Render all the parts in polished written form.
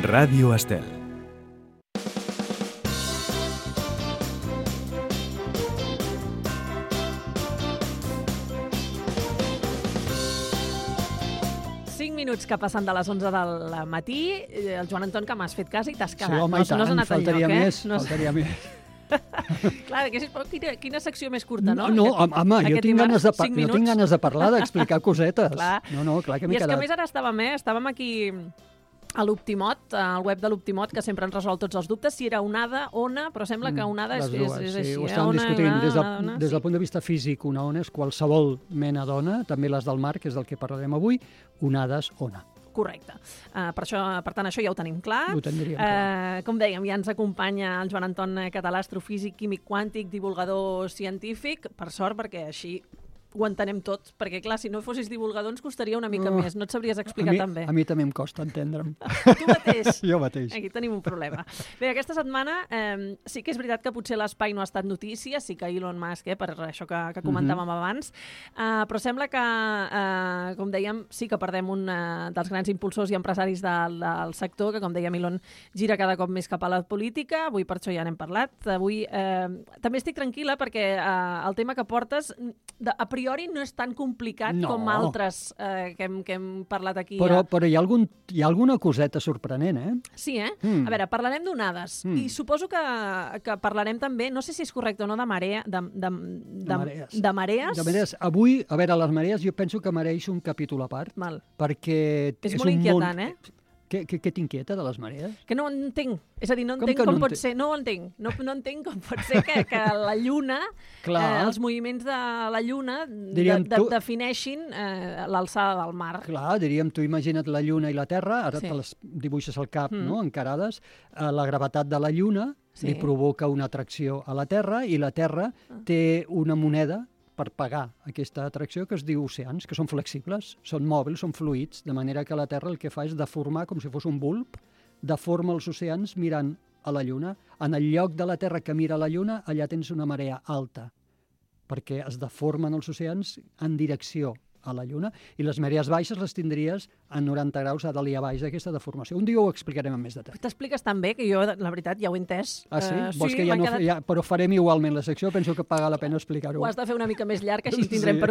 Ràdio Estel. Minuts que passen de les 11 del matí. El Joan Anton, que m'has fet cas i t'has quedat. Sí, home, i tant, no has anat faltaria enlloc, més, faltaria més. Clar, quina secció més curta, no? No, home, jo tinc ganes de parlar, d'explicar cosetes. Clar que m'he quedat. I és que a més ara estàvem aquí a l'Optimot, al web de l'Optimot, que sempre ens resol tots els dubtes, si era onada, ona, però sembla que onada és així. Ho estàvem discutint. Des del punt de vista físic, una ona és qualsevol mena d'ona, també les del mar, que és del que parlarem avui, onades, ona. Correcte. Per tant, això ja ho tenim clar. Ho tindríem clar. Com dèiem, ja ens acompanya el Joan Anton Català, astrofísic, químic quàntic, divulgador científic, per sort, perquè així ho entenem tot, perquè clar, si no fossis divulgador ens costaria una mica més, no et sabries explicar tan bé. A mi també em costa entendre'm. Tu mateix? Jo mateix. Aquí tenim un problema. Bé, aquesta setmana sí que és veritat que potser l'espai no ha estat notícia, sí que Elon Musk, per això que comentàvem abans, però sembla que, com dèiem, sí que perdem un dels grans impulsors i empresaris del sector, que com dèiem Elon gira cada cop més cap a la política, avui per això ja n'hem parlat. Avui també estic tranquil·la perquè el tema que portes a priori no és tan complicat com altres que hem parlat aquí. Però hi ha alguna coseta sorprenent, eh? Sí, eh? A veure, parlarem d'onades i suposo que parlarem també, no sé si és correcte o no, de marees. De marees. Avui, a veure, les marees jo penso que mereix un capítol a part, perquè és molt inquietant, eh? Què t'inquieta de les marees? Que no entenc. És a dir, no entenc com pot ser... No ho entenc. No entenc com pot ser que la Lluna, els moviments de la Lluna defineixin l'alçada del mar. Clar, diríem, tu imagina't la Lluna i la Terra, ara te les dibuixes al cap, no?, encarades. La gravetat de la Lluna li provoca una atracció a la Terra i la Terra té una moneda per pagar aquesta atracció que es diu oceans, que són flexibles, són mòbils, són fluids, de manera que la Terra el que fa és deformar, com si fos un bulb, deforma els oceans mirant a la Lluna. En el lloc de la Terra que mira a la Lluna, allà tens una marea alta, perquè es deformen els oceans en direcció a la Lluna, i les marees baixes les tindries a 90 graus a dalt i a baix d'aquesta deformació. Un dia ho explicarem amb més detall. T'expliques tan bé que jo, la veritat, ja ho he entès. Ah, sí? Vols que però farem igualment la secció, penso que paga la pena explicar-ho. Ho has de fer una mica més llarg, així tindrem per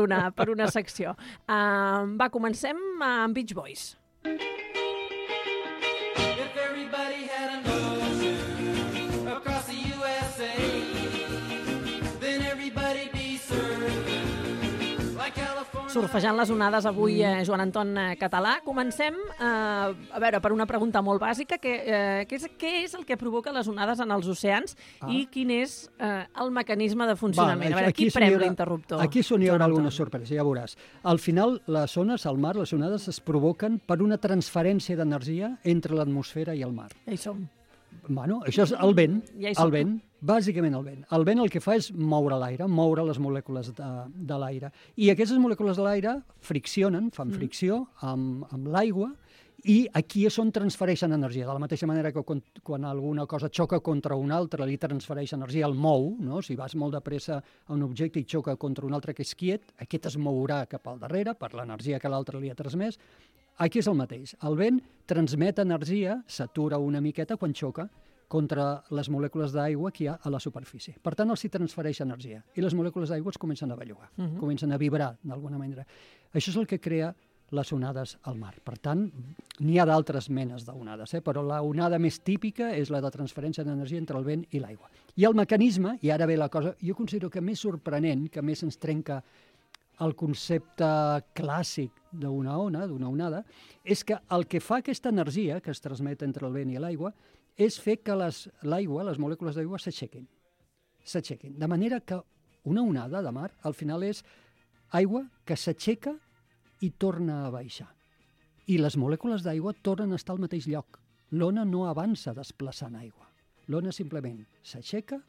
una secció. Va, comencem amb Beach Boys. Surfejant les onades avui, Joan Anton Català. Comencem, a veure, per una pregunta molt bàsica, què és el que provoca les onades en els oceans i quin és el mecanisme de funcionament? A veure, qui prem l'interruptor? Aquí hi haurà alguna sorpresa, ja veuràs. Al final, les ones al mar, les onades es provoquen per una transferència d'energia entre l'atmosfera i el mar. Ja hi som. Bueno, això és el vent, bàsicament el vent. El vent el que fa és moure l'aire, moure les molècules de l'aire. I aquestes molècules de l'aire friccionen, fan fricció amb l'aigua, i aquí és on transfereixen energia. De la mateixa manera que quan alguna cosa xoca contra una altra, li transfereix energia, el mou, no? Si vas molt de pressa a un objecte i xoca contra un altre que és quiet, aquest es mourà cap al darrere per l'energia que l'altre li ha transmès. Aquí és el mateix. El vent transmet energia, s'atura una miqueta quan xoca contra les molècules d'aigua que hi ha a la superfície. Per tant, els hi transfereix energia. I les molècules d'aigua es comencen a bellugar, comencen a vibrar d'alguna manera. Això és el que crea les onades al mar. Per tant, n'hi ha d'altres menes d'onades, però la onada més típica és la de transferència d'energia entre el vent i l'aigua. I el mecanisme, i ara ve la cosa, jo considero que més sorprenent, que més ens trenca el concepte clàssic d'una onada, és que el que fa aquesta energia que es transmet entre el vent i l'aigua és fer que l'aigua, les molècules d'aigua, s'aixequin. De manera que una onada de mar, al final, és aigua que s'aixeca i torna a baixar. I les molècules d'aigua tornen a estar al mateix lloc. L'ona no avança desplaçant aigua. L'ona simplement s'aixeca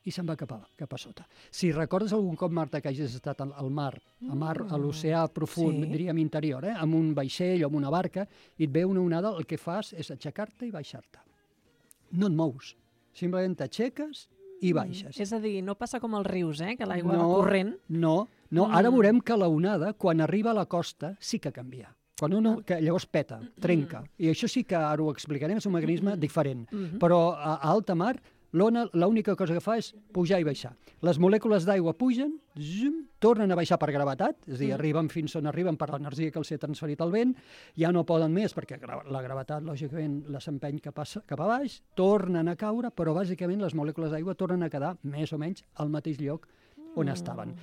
i se'n va cap a sota. Si recordes algun cop, Marta, que hagis estat al mar, a l'oceà profund, diríem interior, amb un vaixell o amb una barca, i et ve una onada, el que fas és aixecar-te i baixar-te. No et mous, simplement t'aixeques i baixes. És a dir, no passa com els rius, que l'aigua va corrent. No, ara veurem que la onada, quan arriba a la costa, sí que canvia. que llavors peta, trenca. I això sí que ara ho explicarem, és un mecanisme diferent. Però a alta mar, l'ona l'única cosa que fa és pujar i baixar. Les molècules d'aigua pugen, tornen a baixar per gravetat, és a dir, arriben fins on arriben per l'energia que els ha transferit el vent, ja no poden més perquè la gravetat, lògicament, les empeny cap a baix, tornen a caure, però bàsicament les molècules d'aigua tornen a quedar més o menys al mateix lloc on estaven.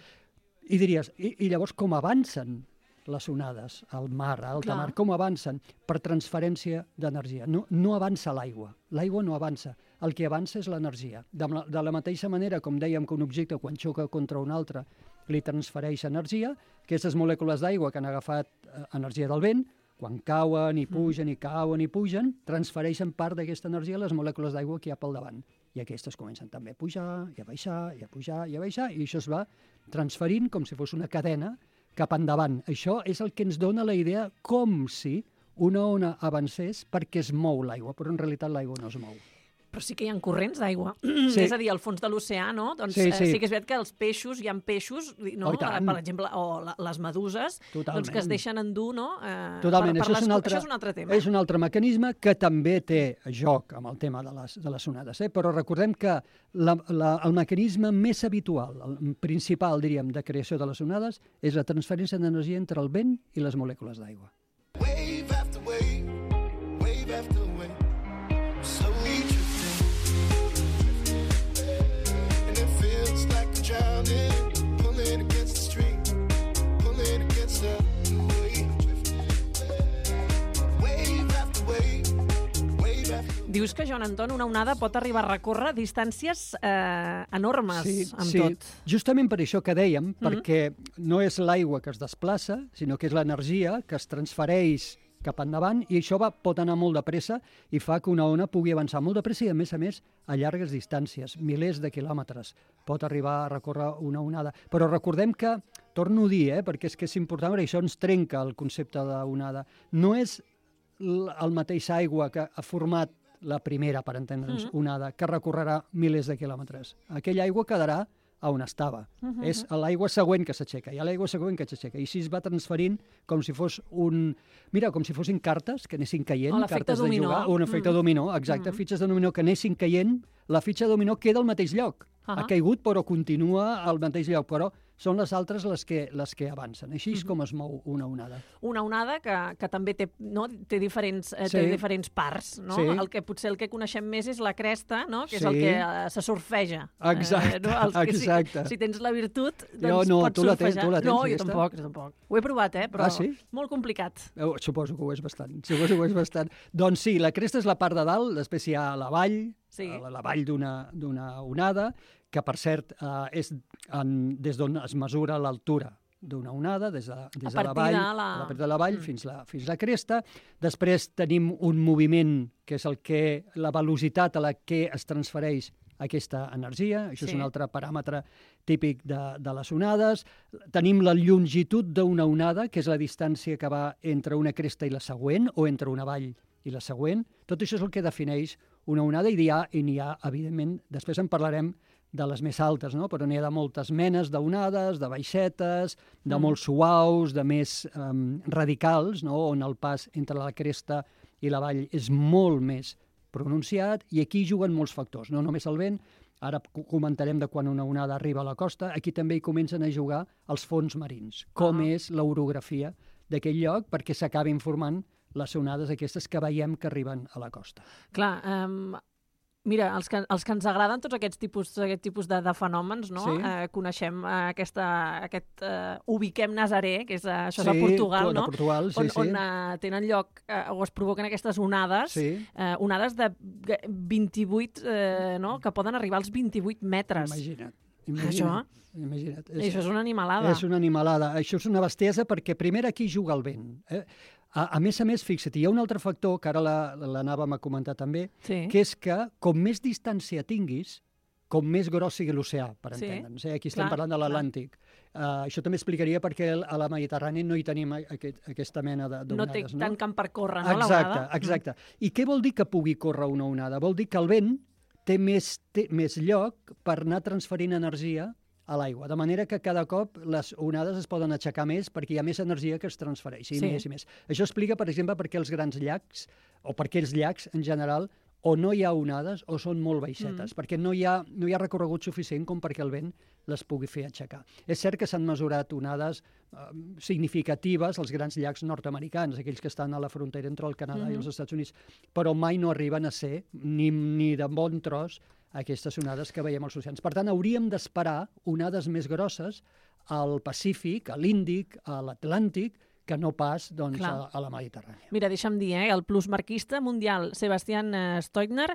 I diries, i llavors com avancen les onades al mar, a alta mar, com avancen? Per transferència d'energia. No avança l'aigua. L'aigua no avança. El que avança és l'energia. De la mateixa manera, com dèiem que un objecte, quan xoca contra un altre, li transfereix energia, aquestes molècules d'aigua que han agafat energia del vent, quan cauen i pugen, transfereixen part d'aquesta energia a les molècules d'aigua que hi ha pel davant. I aquestes comencen també a pujar, i a baixar, i a pujar, i a baixar, i això es va transferint com si fos una cadena cap endavant. Això és el que ens dona la idea com si una ona avancés perquè es mou l'aigua, però en realitat l'aigua no es mou. Però sí que hi ha corrents d'aigua. Sí. És a dir, al fons de l'oceà, no? Doncs sí que és veritat que els peixos, hi ha peixos, no? Per exemple, o les meduses, doncs que es deixen endur, no? Totalment. Això és un altre tema. És un altre mecanisme que també té joc amb el tema de les onades. Però recordem que el mecanisme més habitual, el principal, diríem, de creació de les onades és la transferència d'energia entre el vent i les molècules d'aigua. Wave after wave, wave after wave. Dius que, Joan Anton, una onada pot arribar a recórrer distàncies enormes amb tot. Justament per això que dèiem, perquè no és l'aigua que es desplaça, sinó que és l'energia que es transfereix cap endavant, i això pot anar molt de pressa i fa que una ona pugui avançar molt de pressa i, a més, a llargues distàncies, milers de quilòmetres. Pot arribar a recórrer una onada. Però recordem que, torno a dir, perquè és que és important, perquè això ens trenca el concepte d'onada. No és el mateix aigua que ha format la primera, per entendre'ns, onada, que recorrerà milers de quilòmetres. Aquella aigua quedarà a on estava. És l'aigua següent que s'aixeca, i a l'aigua següent que s'aixeca. I així es va transferint com si fos com si fossin cartes que anessin caient, cartes de jugar, un efecte dominó, exacte, fitxes de dominó que anessin caient, la fitxa de dominó queda al mateix lloc. Ha caigut, però continua al mateix lloc, però són les altres les que avancen. Així és com es mou una onada. Una onada que també té diferents parts, no? Sí. Potser el que coneixem més és la cresta, no? Que és el que se surfeja. Exacte. Si tens la virtut, doncs pots surfejar. Tu la tens, no, jo tampoc. Ho he provat, però molt complicat. Suposo que ho és bastant. Doncs sí, la cresta és la part de dalt, després hi ha la vall, la vall d'una onada, que, per cert, és des d'on es mesura l'altura d'una onada, des de la vall fins la cresta. Després tenim un moviment, que és la velocitat a la que es transfereix aquesta energia. Això és un altre paràmetre típic de les onades. Tenim la longitud d'una onada, que és la distància que va entre una cresta i la següent, o entre una vall i la següent. Tot això és el que defineix una onada, i n'hi ha, evidentment, després en parlarem de les més altes, no? Però n'hi ha de moltes menes d'onades, de baixetes, de molt suaus, de més radicals, no? On el pas entre la cresta i la vall és molt més pronunciat, i aquí juguen molts factors, no només el vent. Ara comentarem de quan una onada arriba a la costa. Aquí també hi comencen a jugar els fons marins, com és l'orografia d'aquell lloc, perquè s'acabin formant les onades aquestes que veiem que arriben a la costa. Clar, mira, els que ens agraden tots aquest tipus de fenòmens, no? Coneixem aquest Ubiquem Nazaré, que és això de Portugal, no? Portugal, on tenen lloc, o es provoquen aquestes onades, onades de 28, que poden arribar als 28 metres. Imagina't. Això és una animalada. És una animalada. Això és una bestiesa perquè primer aquí juga el vent. A més, fixa't, hi ha un altre factor que ara l'anàvem a comentar també, que és que com més distància tinguis, com més gros sigui l'oceà, per entendre'ns. Aquí estem parlant de l'Atlàntic. Això també explicaria perquè a la Mediterrània no hi tenim aquesta mena d'onades. No té tant camp per córrer, no, l'onada? Exacte. I què vol dir que pugui córrer una onada? Vol dir que el vent té més lloc per anar transferint energia a l'aigua, de manera que cada cop les onades es poden aixecar més perquè hi ha més energia que es transfereixi, més i més. Això explica, per exemple, per què els grans llacs, o per què els llacs en general, o no hi ha onades o són molt baixetes, perquè no hi ha recorregut suficient com perquè el vent les pugui fer aixecar. És cert que s'han mesurat onades significatives als grans llacs nord-americans, aquells que estan a la frontera entre el Canadà i els Estats Units, però mai no arriben a ser, ni de bon tros, aquestes onades que veiem als oceans. Per tant, hauríem d'esperar onades més grosses al Pacífic, a l'Índic, a l'Atlàntic, que no pas doncs, a la Mediterrània. Mira, deixa'm dir, el plusmarquista mundial Sebastian Stoigner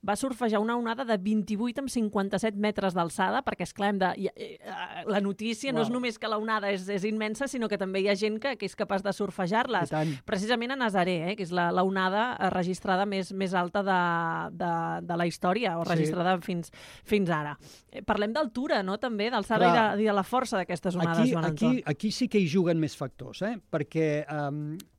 va surfejar una onada de 28 amb 57 metres d'alçada, perquè, esclar, la notícia no és només que la onada és immensa, sinó que també hi ha gent que és capaç de surfejar-les. Precisament a Nazaré, que és la onada registrada més alta de la història, o registrada fins ara. Parlem d'altura, no?, també, d'alçada i de la força d'aquestes onades, Joan Anton. Aquí sí que hi juguen més factors, perquè,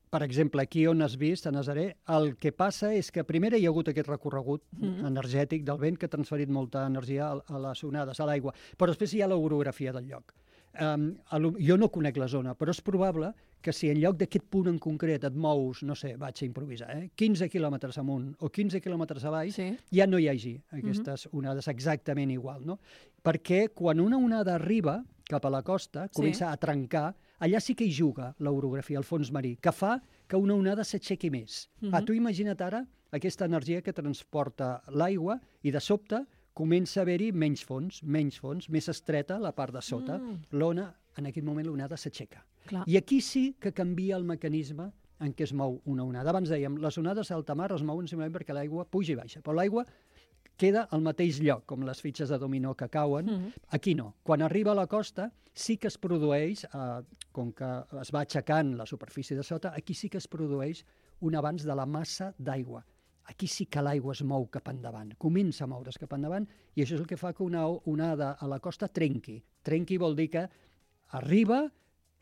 per exemple, aquí on has vist, a Nazaré, el que passa és que primer hi ha hagut aquest recorregut energètic del vent que ha transferit molta energia a les onades, a l'aigua, però després hi ha l'orografia del lloc. Jo no conec la zona, però és probable que si en lloc d'aquest punt en concret et mous, no sé, vaig a improvisar, 15 quilòmetres amunt o 15 quilòmetres avall, ja no hi hagi aquestes onades exactament igual, no? Perquè quan una onada arriba cap a la costa, comença a trencar, allà sí que hi juga l'orografia, el fons marí, que fa que una onada s'aixequi més. Tu imagina't ara aquesta energia que transporta l'aigua i de sobte comença a haver-hi menys fons, més estreta la part de sota. L'ona, en aquell moment, l'onada s'aixeca. I aquí sí que canvia el mecanisme en què es mou una onada. Abans dèiem, les onades a alta mar es mouen simplement perquè l'aigua puja i baixa, però l'aigua queda al mateix lloc, com les fitxes de dominó que cauen. Aquí no. Quan arriba a la costa, sí que es produeix, com que es va aixecant la superfície de sota, aquí sí que es produeix un avanç de la massa d'aigua. Aquí sí que l'aigua es mou cap endavant, comença a moure's cap endavant, i això és el que fa que una onada a la costa trenqui. Trenqui vol dir que arriba,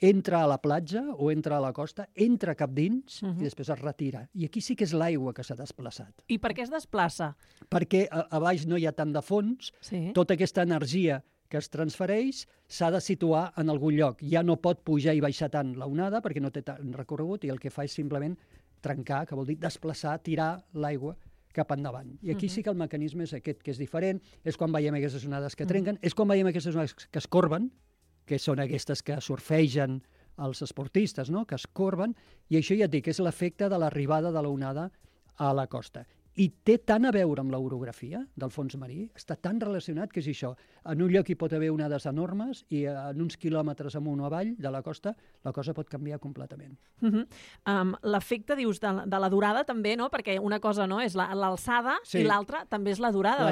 entra a la platja o entra a la costa, entra cap dins i després es retira. I aquí sí que és l'aigua que s'ha desplaçat. I per què es desplaça? Perquè a baix no hi ha tant de fons, tota aquesta energia que es transfereix s'ha de situar en algun lloc. Ja no pot pujar i baixar tant la onada perquè no té tant recorregut i el que fa és simplement trencar, que vol dir desplaçar, tirar l'aigua cap endavant. I aquí sí que el mecanisme és aquest, que és diferent, és quan veiem aquestes onades que trenquen, és quan veiem aquestes onades que es corben, que són aquestes que surfegen els esportistes, no?, que es corben, i això ja et dic, és l'efecte de l'arribada de la onada a la costa. I té tant a veure amb l'orografia del fons marí, està tan relacionat que és això. En un lloc hi pot haver onades enormes i en uns quilòmetres amunt o avall de la cosa pot canviar completament. L'efecte, dius, de la durada també, no? Perquè una cosa no és l'alçada i l'altra també és la durada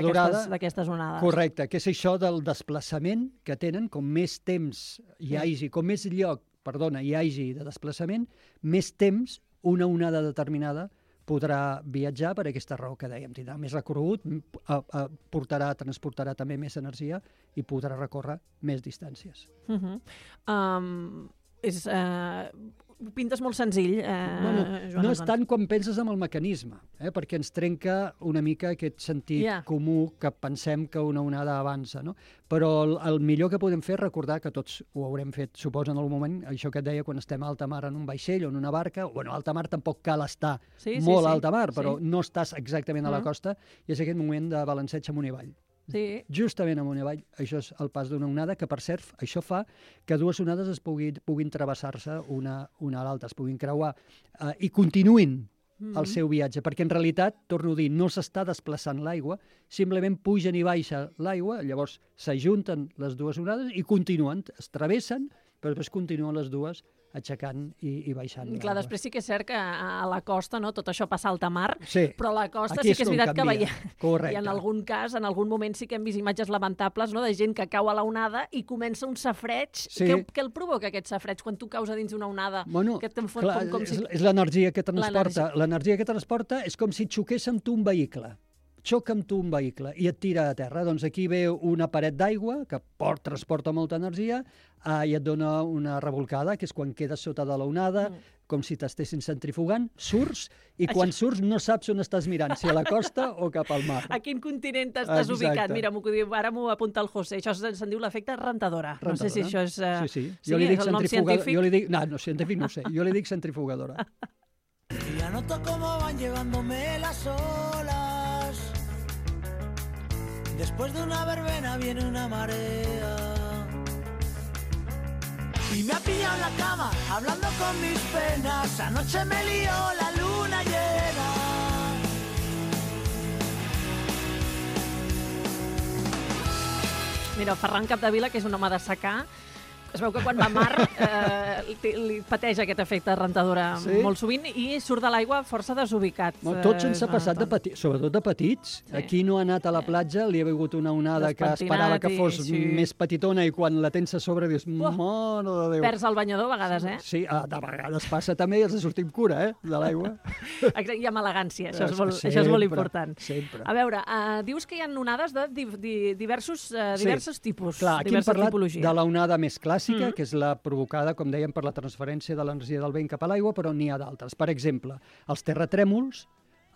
d'aquestes onades. Correcte, que és això del desplaçament que tenen, com més temps hi hagi, com més lloc, hi hagi de desplaçament, més temps una onada determinada podrà viatjar per aquesta raó que dèiem. Tindrà més recorregut, transportarà també més energia i podrà recórrer més distàncies. Ho pintes molt senzill, Joan. No és tant quan penses en el mecanisme, perquè ens trenca una mica aquest sentit comú que pensem que una onada avança, no? Però el millor que podem fer és recordar que tots ho haurem fet, suposo, en algun moment, això que et deia, quan estem a alta mar en un vaixell o en una barca, bueno, a alta mar tampoc cal estar molt a alta mar, però no estàs exactament a la costa, i és aquest moment de balanceig amunt i avall. Justament amunt i avall, això és el pas d'una onada, que per cert, això fa que dues onades puguin travessar-se una a l'altra, es puguin creuar i continuïn el seu viatge, perquè en realitat, torno a dir, no s'està desplaçant l'aigua, simplement pugen i baixa l'aigua, llavors s'ajunten les dues onades i continuen, es travessen, però després continuen les dues aixecant i baixant. Clar, després sí que és cert que a la costa tot això passa a alta mar, però a la costa sí que és veritat que veiem. Correcte. I en algun cas, en algun moment sí que hem vist imatges lamentables de gent que cau a la onada i comença un safreig. Què el provoca, aquest safreig, quan tu caus a dins d'una onada? És l'energia que transporta. L'energia que transporta és com si xoqués amb tu un vehicle. Xoca amb tu un vehicle i et tira a terra. Doncs aquí ve una paret d'aigua que transporta molta energia i et dona una revolcada, que és quan quedes sota de l'onada, com si t'estessin centrifugant, surts, i quan surts no saps on estàs mirant, si a la costa o cap al mar. A quin continent estàs ubicat? Mira, ara m'ho apunta el José. Això se'n diu l'efecte rentadora. No sé si això és... Sí. Jo li dic centrifugadora. No, científic no sé. Jo li dic centrifugadora. Ya noto cómo van llevándome las olas. Después de una verbena viene una marea. Y me ha pillado en la cama, hablando con mis penas. Anoche me lió la luna llena. Mira, el Ferran Capdevila, que és un home de secà, es veu que quan va a mar li pateix aquest efecte rentadora molt sovint i surt de l'aigua força desubicat. Tots ens ha passat, sobretot de petits. Aquí no ha anat a la platja, li ha vingut una onada que esperava que fos més petitona i quan la tens a sobre dius, mare de Déu. Perds el banyador a vegades, eh? Sí, de vegades passa també i has de sortir amb cura, de l'aigua. I amb elegància, això és molt important. Sempre. A veure, dius que hi ha onades de diversos tipus, clar, aquí hem parlat de l'onada més clàssica, que és la provocada, com dèiem, per la transferència de l'energia del vent cap a l'aigua, però n'hi ha d'altres. Per exemple, els terratrèmols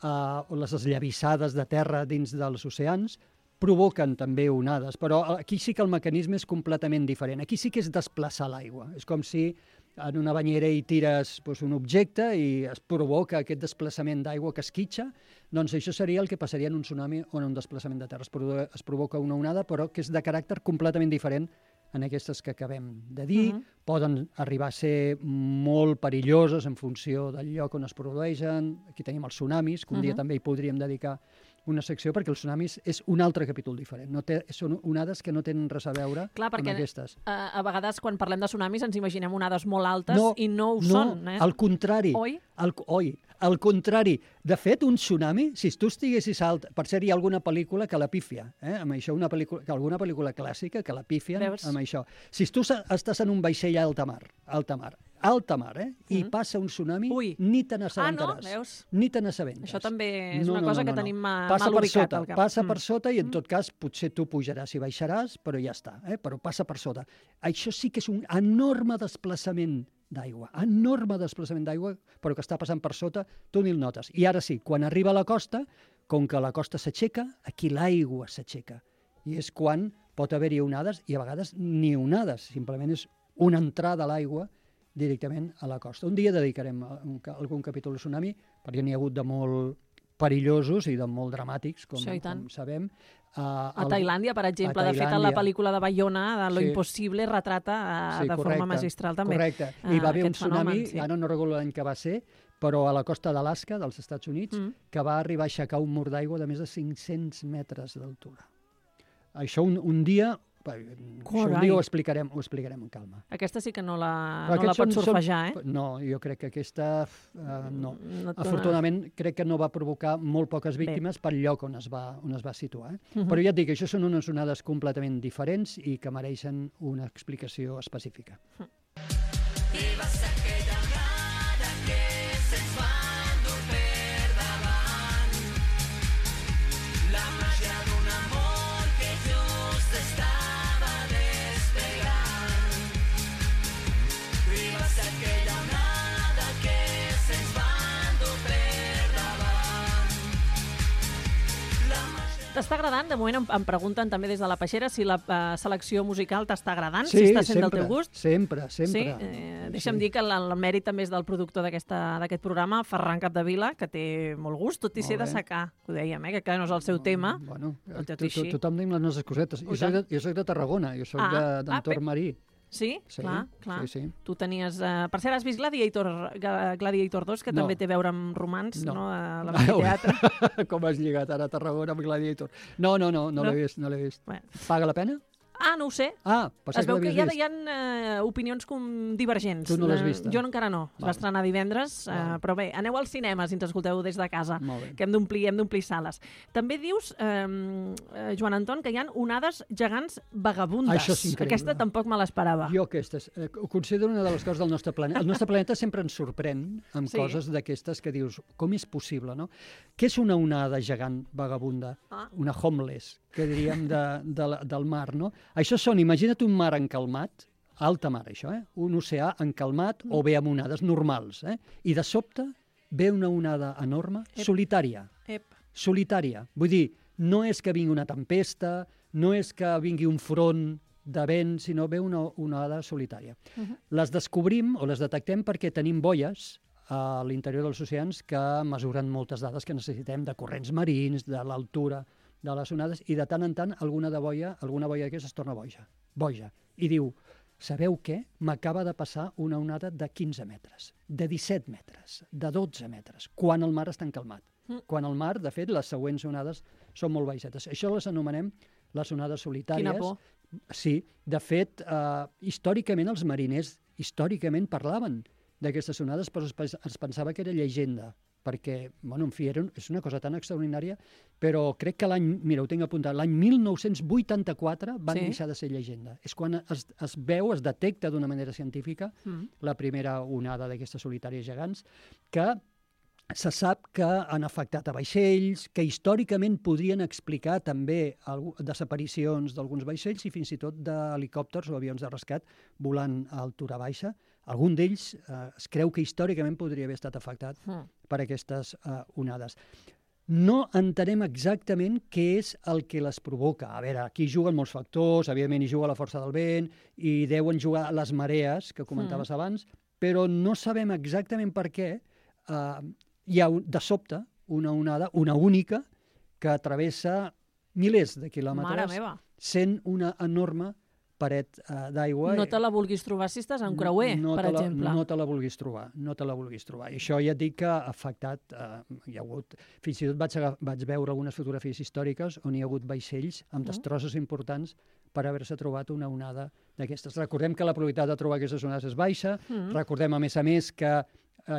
o les esllavissades de terra dins dels oceans provoquen també onades, però aquí sí que el mecanisme és completament diferent. Aquí sí que és desplaçar l'aigua. És com si en una banyera hi tires un objecte i es provoca aquest desplaçament d'aigua que esquitxa, doncs això seria el que passaria en un tsunami o en un desplaçament de terra. Es provoca una onada, però que és de caràcter completament diferent en aquestes que acabem de dir. Poden arribar a ser molt perilloses en funció del lloc on es produeixen. Aquí tenim els tsunamis, que un dia també hi podríem dedicar una secció, perquè els tsunamis és un altre capítol diferent. Són onades que no tenen res a veure amb aquestes. A vegades, quan parlem de tsunamis, ens imaginem onades molt altes i no ho són. Al contrari. Oi? Al contrari. De fet, un tsunami, si tu estiguessis alt... Per cert, hi ha alguna pel·lícula que la pífia, amb això, alguna pel·lícula clàssica que la pífien amb això. Si tu estàs en un vaixell a alta mar, i passa un tsunami, ni te n'assabentaràs. Ni te n'assabentes. Això també és una cosa que tenim mal ubicat al cap. Passa per sota i, en tot cas, potser tu pujaràs i baixaràs, però ja està, però passa per sota. Això sí que és un enorme desplaçament d'aigua, però que està passant per sota, tu ni el notes. I ara sí, quan arriba a la costa, com que la costa s'aixeca, aquí l'aigua s'aixeca. I és quan pot haver-hi onades, i a vegades ni onades, simplement és una entrada a l'aigua directament a la costa. Un dia dedicarem algun capítol de tsunami, perquè n'hi ha hagut de molt perillosos i de molt dramàtics, com sabem. A Tailàndia, per exemple, de fet, en la pel·lícula de Bayona, de Lo Impossible, retrata de forma magistral també. Correcte. I va haver un tsunami, ara no recordo l'any que va ser, però a la costa d'Alaska, dels Estats Units, que va arribar a aixecar un mur d'aigua de més de 500 metres d'altura. Això un dia ho explicarem amb calma. Aquesta sí que no la pots surfejar, No, jo crec que aquesta no. Afortunadament, crec que no va provocar molt poques víctimes pel lloc on es va situar. Però ja et dic, això són unes onades completament diferents i que mereixen una explicació específica. T'està agradant? De moment em pregunten també des de la Peixera si la selecció musical t'està agradant, si està sent del teu gust. Sempre. Sí? Deixa'm dir que el mèrit també és del productor d'aquest programa, Ferran Capdevila, que té molt gust, tot i ser de secà, que ho dèiem, que no és el seu tema. Bueno, tothom tenim les nostres cosetes. Jo soc de Tarragona, jo soc d'entorn marí. Sí? Clar. Sí. Tu tenies... Per cert, has vist Gladiator 2, que també té a veure amb romans, no? A l'amfiteatre. Com has lligat ara a Tarragona amb Gladiator? No l'he vist. Paga la pena? No ho sé. Es veu que hi ha opinions divergents. Tu no l'has vist? Jo encara no. Es va estrenar divendres, però bé, aneu al cinema si ens escolteu des de casa, que hem d'omplir sales. També dius, Joan Anton, que hi ha onades gegants vagabundes. Això és increïble. Aquesta tampoc me l'esperava. Jo aquestes. Ho considero una de les coses del nostre planeta. El nostre planeta sempre ens sorprèn amb coses d'aquestes que dius, com és possible, no? Què és una onada gegant vagabunda? Una homeless, que diríem del mar, no? Això són, imagina't un mar encalmat, alta mar, això, un oceà encalmat o bé amb onades normals. I de sobte ve una onada enorme, solitària. Solitària. Vull dir, no és que vingui una tempesta, no és que vingui un front de vent, sinó ve una onada solitària. Les descobrim o les detectem perquè tenim boies a l'interior dels oceans que mesuren moltes dades que necessitem de corrents marins, de l'altura de les onades, i de tant en tant alguna boia d'aquestes es torna boja. I diu, sabeu què? M'acaba de passar una onada de 15 metres, de 17 metres, de 12 metres, quan el mar està encalmat. Quan el mar, de fet, les següents onades són molt baixetes. Això les anomenem les onades solitàries. Quina por. Sí, de fet, històricament els mariners parlaven d'aquestes onades, però es pensava que era llegenda, perquè, bueno, en fi, és una cosa tan extraordinària, però crec que mira, ho tinc apuntat, l'any 1984 van deixar de ser llegenda. És quan es detecta d'una manera científica la primera onada d'aquestes solitàries gegants, que se sap que han afectat a vaixells, que històricament podrien explicar també desaparicions d'alguns vaixells i fins i tot d'helicòpters o avions de rescat volant a altura baixa. Algun d'ells es creu que històricament podria haver estat afectat per aquestes onades. No entenem exactament què és el que les provoca. A veure, aquí juguen molts factors, evidentment hi juga la força del vent, i deuen jugar les marees, que comentaves abans, però no sabem exactament per què hi ha de sobte una onada, una única, que travessa milers de quilòmetres sent una enorme paret d'aigua. No te la vulguis trobar si estàs en creuer, per exemple. No te la vulguis trobar. I això ja et dic que ha afectat, hi ha hagut, fins i tot vaig veure algunes fotografies històriques on hi ha hagut vaixells amb destrosses importants per haver-se trobat una onada d'aquestes. Recordem que la probabilitat de trobar aquestes onades és baixa, recordem a més que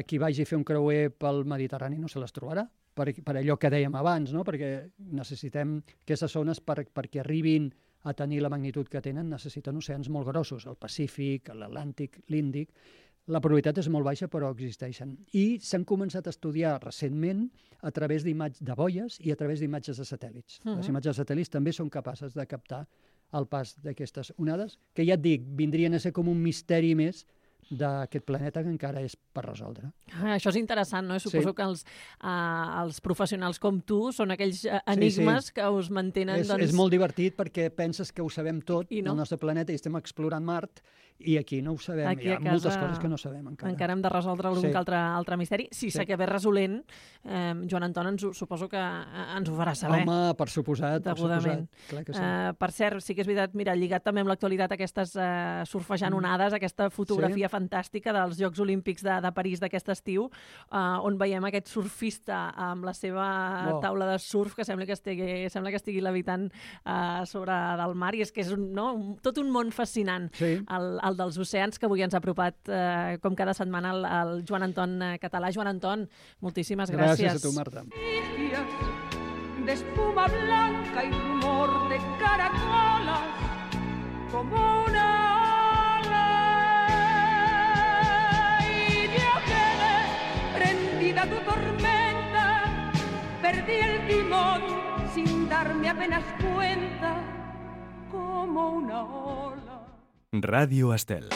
qui vagi a fer un creuer pel Mediterrani no se les trobarà, per allò que dèiem abans, no? Perquè necessitem aquestes zones perquè arribin a tenir la magnitud que tenen, necessiten oceans molt grossos, el Pacífic, l'Atlàntic, l'Índic. La probabilitat és molt baixa, però existeixen. I s'han començat a estudiar recentment a través de boies i a través d'imatges de satèl·lits. Les imatges de satèl·lits també són capaces de captar el pas d'aquestes onades, que ja et dic, vindrien a ser com un misteri més d'aquest planeta que encara és per resoldre. Això és interessant, no? Suposo que els professionals com tu són aquells enigmes que us mantenen... És molt divertit perquè penses que ho sabem tot del nostre planeta i estem explorant Mart i aquí no ho sabem. Hi ha moltes coses que no sabem encara. Encara hem de resoldre algun altre misteri. Si s'acabés resolent, Joan Anton, suposo que ens ho farà saber. Home, per suposat. Clar que sí. Per cert, sí que és veritat, mira, lligat també amb l'actualitat aquestes surfejant onades, aquesta fotografia fantàstica dels Jocs Olímpics de París d'aquest estiu, on veiem aquest surfista amb la seva taula de surf que sembla que estigui levitant sobre del mar, i és que és tot un món fascinant, el dels oceans, que avui ens ha apropat com cada setmana el Joan Anton Català. Joan Anton, moltíssimes gràcies. Gràcies a tu, Marta. De espuma blanca y rumor de caracolas como una ola, y yo quedé prendida a tu tormenta, perdí el timón sin darme apenas cuenta como una ola. Radio Estel.